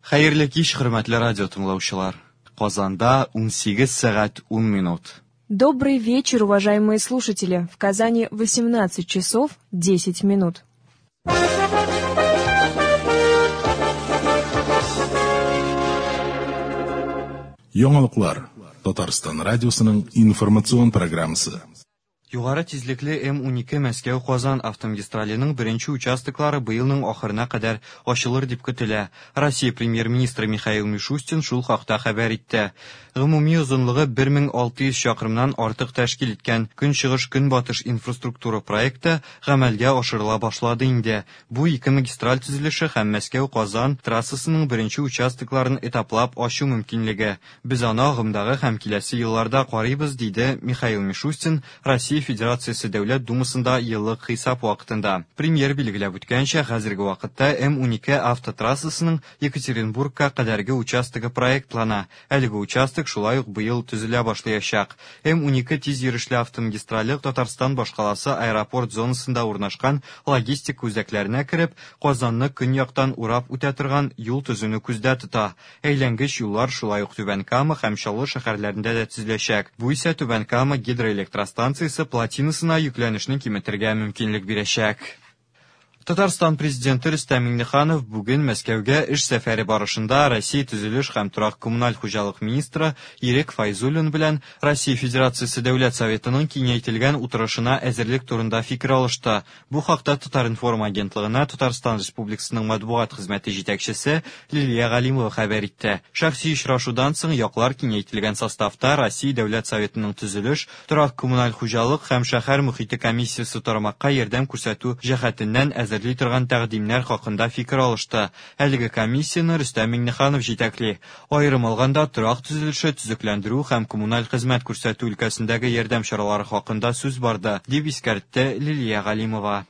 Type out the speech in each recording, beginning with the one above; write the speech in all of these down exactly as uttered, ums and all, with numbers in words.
Хәерле кич, хөрмәтле радио тыңлаучылар. Казанда унсигез сәгать ун минут. Добрый вечер, уважаемые слушатели. В Казани восемнадцать часов десять минут. Яңалыклар. Татарстан радиосының информацион программасы. Югары тизлекле М унике Мәскәү-Казан автомагистраленең беренче участоклары быелның ахырына кадәр ачылыр дип көтелә. Россия премьер-министры Михаил Мишустин шул хакта хәбәр итте. Гомуми озынлыгы бер мең алты йөз чакрымнан артык тәшкил иткән Көнчыгыш-Көнбатыш инфраструктура проекты гамәлгә ашырыла башлады инде. Бу ике магистраль төзелеше һәм Мәскәү-Казан трассасының беренче участокларын этаплап ачу мөмкинлеге. Без аны агымдагы һәм киләсе елларда карыйбыз, диде Михаил Мишустин Россия Федерациясе Дәүләт Думасында еллык хисап вакытында. Премьер билгеләп үткәнчә, хәзерге вакытта М унике автотрассасының Екатеринбургка кадәрге участогы проектлана. Әлеге участок шулай ук быел төзелә башлаячак. М унике тиз йөрешле автомагистрале Татарстан башкаласы аэропорт зонасында урнашкан логистик үзәкләренә кереп, Казанны көньяктан урап үтә торган юл төзүне күздә тота. Әйләнгеч юллар шулай ук Түбән Кама һәм Чаллы шәһәрләрендә дә төзеләчәк. Бу исә Түбән Кама гидроэлектростанциясе плотинасына йөкләнешне киметергә мөмкинлек бирәчәк. Татарстан президенты Рөстәм Миңнеханов бүген Мәскәүгә эш сәфәре барышында Россия төзелеш һәм торак коммуналь хуҗалык министры Ирек Файзуллин белән Россия Федерациясе Дәүләт Советының киңәйтелгән утырышына әзерлек турында фикер алышты. Бу хакта Татар-информ агентлыгына Татарстан Республикасының матбугат хезмәте җитәкчесе Лилия Галимова хәбәр итте. Шәхси очрашудан соң яклар киңәйтелгән составта Россия Дәүләт Советының төзелеш, торак коммуналь хуҗалык һәм шәһәр мөхите комиссиясе тармакка ярдәм күрсәтү җәһәтеннән әзер торган тәкъдимнәр хакында фикер алышты. Әлеге комиссияне Рөстәм Миңнеханов җитәкли. Аерым алганда, торак төзелеше, төзекләндерү һәм коммуналь хезмәт күрсәтү өлкәсендәге ярдәм чаралары хакында сүз барды, дип искәртте Лилия Галимова.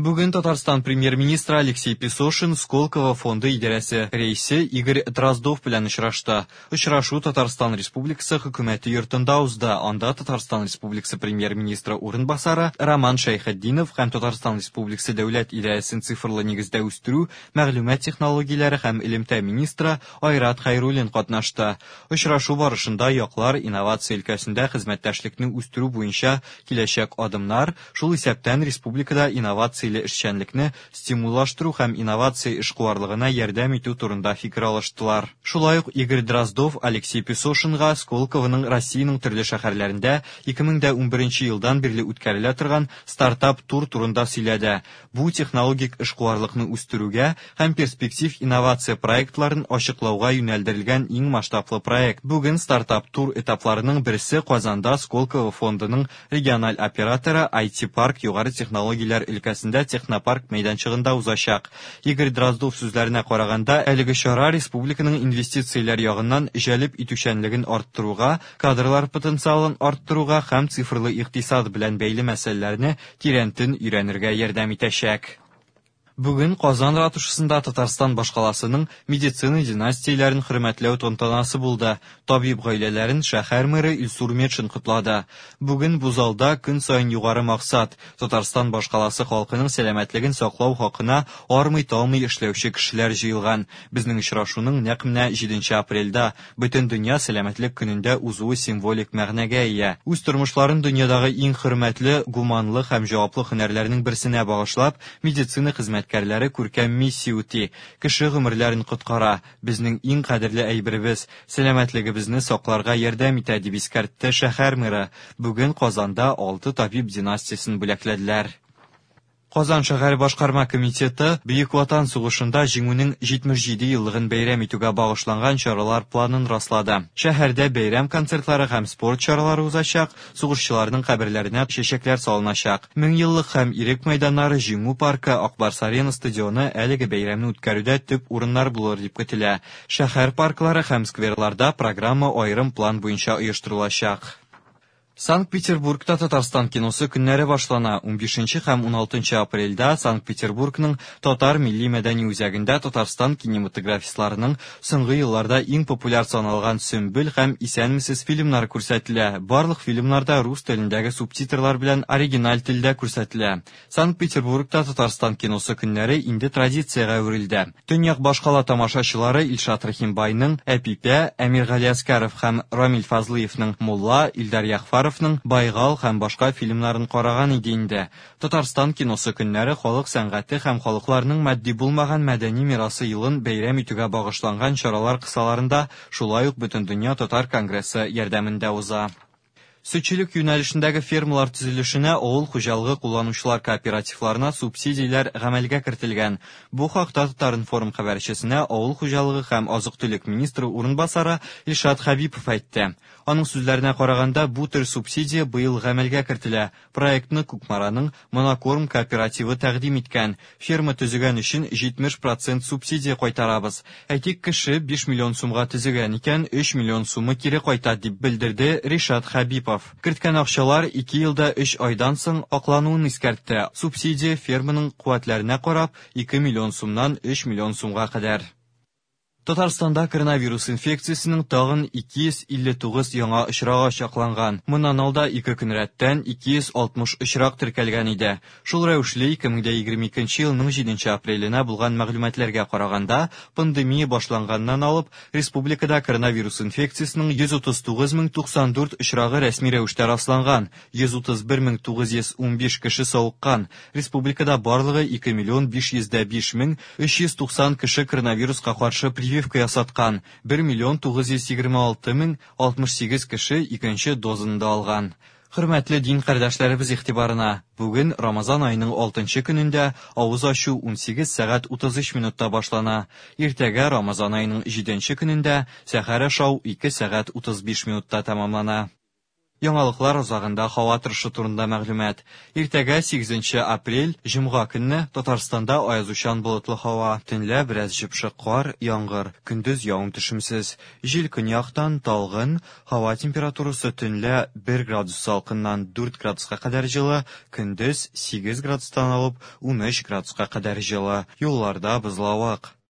Бүген Татарстан премьер-министры Алексей Песошин Сколково фонды идарәсе рәисе Игорь Дроздов белән очрашты. Очрашу Татарстан Республикасы хөкүмәте йортында узды. Анда Татарстан Республикасы премьер-министры урынбасары Роман Шәйхетдинов һәм Татарстан Республикасы дәүләт идарәсен цифрлы нигездә үстерү, мәгълүмат технологияләре һәм элемтә министры Айрат Хәйруллин катнашты. Очрашу барышында яклар инновация өлкәсендә хезмәттәшлекне үстерү буенча киләчәк адымнар, шул исәптән республикада инновация эшчәнлекне стимуллаштыру һәм инновация эшкуарлыгына ярдәм итү турында фикер алыштылар. Шулай ук Игорь Дроздов Алексей Песошинга Сколковоның Россиянең төрле шәһәрләрендә ике мең дә унберенче елдан бирле үткәрелә торган стартап-тур турында сөйләде. Бу технологик эшкуарлыкны үстерүгә һәм перспектив инновация проектларын ачыклауга юнәлдерелгән иң масштаблы проект. Бүген стартап-тур этапларының берсе Казанда Сколково фондының региональ операторы ай ти-парк югары технологияләр өлкәсендә технопарк мәйданчыгында узачак. Игорь Дроздов сүзләренә караганда, әлеге чара республиканың инвестицияләр ягыннан җәлеп итүчәнлеген арттыруга, кадрлар потенциалын арттыруга һәм цифрлы икътисад белән бәйле мәсьәләләрне тирәнтен өйрәнергә ярдәм итәчәк. Бүген Казан ратушасында Татарстан башкаласының медицина династияләрен хөрмәтләү тантанасы булды. Табиб гаиләләрен шәһәр мэры Илсур Метшин котлады. Бүген бу залда көн саен югары максат Татарстан башкаласы халкының сәламәтлеген саклау хакына армый-талмый эшләүче кешеләр җыелган. Безнең очрашуның нәкъ менә җиденче апрельдә Бөтен дөнья сәламәтлек көнендә узуы символик мәгънәгә ия. Үз тормышларын дөньядагы иң хөрмәтле, гуманлы һәм җаваплы һөнәрләрнең берсенә багышлап, медицина хезмәт хезмәткәрләре күркәм миссия үти. Кеше гомерләрен коткара, безнең иң кадерле әйберебез, сәламәтлегебезне сакларга ярдәм итә, дип искәртте шәһәр мэры. Бүген Казанда алты табиб династиясен бүләкләделәр. Казан шәһәр башкарма комитеты Бөек Ватан сугышында җиңүнең җитмеш җиде еллыгын бәйрәм итүгә багышланган чаралар планын раслады. Шәһәрдә бәйрәм концертлары һәм спорт чаралары узачак, сугышчыларның каберләренә чәчәкләр салыначак. Мең еллык һәм Ирек мәйданнары, Җиңү паркы, Акбарс Арена стадионы әлеге бәйрәмне үткәрүдә төп урыннар булыр дип көтелә. Шәһәр парклары һәм скверларда программа аерым план буенча оештырылачак. Санкт-Петербургта Татарстан киносы көннәре башлана. Унбишенче һәм уналтынчы апрельдә Санкт-Петербургның Татар милли мәдәни үзәгендә Татарстан кинематографистларының соңгы елларда иң популяр саналган Сөмбел һәм Исәнмесез фильмнары күрсәтелә. Барлык фильмнар да рус телендәге субтитрлар белән оригиналь телдә күрсәтелә. Санкт-Петербургта Татарстан киносы көннәре инде традициягә әверелде. Төньяк башкала тамашачылары Илшат Рәхимбайның Әпипә, Әмир Галиәскәров һәм Рамил Фазлыевның Мулла, Илдар Яхфаровның Байгал һәм башка фильмнарын караган иде инде. Татарстан киносы көннәре халык сәнгате һәм халыкларның матди булмаган мәдәни мирасы елын бәйрәм итүгә багышланган чаралар кысаларында шулай ук Бөтендөнья татар конгрессы ярдәмендә уза. Сөтчелек юнәлешендәге фермалар төзелешенә авыл хуҗалыгы кулланучылар кооперативларына субсидияләр гамәлгә кертелгән. Бу хакта Татар-информ хәбәрчесенә авыл хуҗалыгы һәм азык-төлек министры урынбасары Илшат Хәбипов әйтте. Аның сүзләренә караганда, бу төр субсидия быел гамәлгә кертелә. Проектны Кукмараның Монокорм кооперативы тәкъдим иткән. Ферма төзегән өчен җитмеш процент субсидия кайтарабыз. Әйтик, кеше биш миллион сумга төзегән икән, өч миллион сумы кире кайта, дип белдерде Ришат Хәбипов. Керткән акчалар ике елда өч айдан соң аклануын искәртте. Субсидия ферманың куәтләренә карап ике миллион сумнан өч миллион сумга кадәр. Татарстанда коронавирус инфекциясенең тагын ике йөз илле тугыз яңа очрагы ачыкланган. Моннан алда ике көн рәттән ике йөз алтмыш очрак теркәлгән иде. Шул рәвешле ике мең дә егерме икенче елның җиденче апреленә булган мәгълүматларга караганда, пандемия башланганнан алып республикада коронавирус инфекциясенең йөз утыз тугыз мең туксан дүрт очрагы рәсми рәвештә расланган, йөз утыз бер мең тугыз йөз унбиш кеше савыккан. Республикада барлыгы ике миллион биш йөз дә биш мең өч йөз туксан кеше коронавируска каршы прививка ясаткан, бер миллион тугыз йөз егерме алты мең алтмыш сигез кеше икенче дозаны да алган. Хөрмәтле дин кардәшләребез игътибарына, бүген Рамазан аеның алтынчы көнендә авыз ачу унсигез сәгать утыз өч минутта башлана. Иртәгә Рамазан аеның җиденче көнендә сәхәр ашау ике сәгать утыз биш минутта тәмамлана. Яңалыклар азагында һава торышы турында мәгълүмат. Иртәгә сигезенче апрель, җомга көнне Татарстанда аязучан болытлы һава. Төнлә бераз җепшек кар, яңгыр, көндез явым-төшемсез. Җил көньяктан талгын, һава температурасы төнлә бер градус салкыннан дүрт градуска кадәр җылы, көндез сигез градустан алып унөч градуска кадәр җылы. Юлларда бозлавык.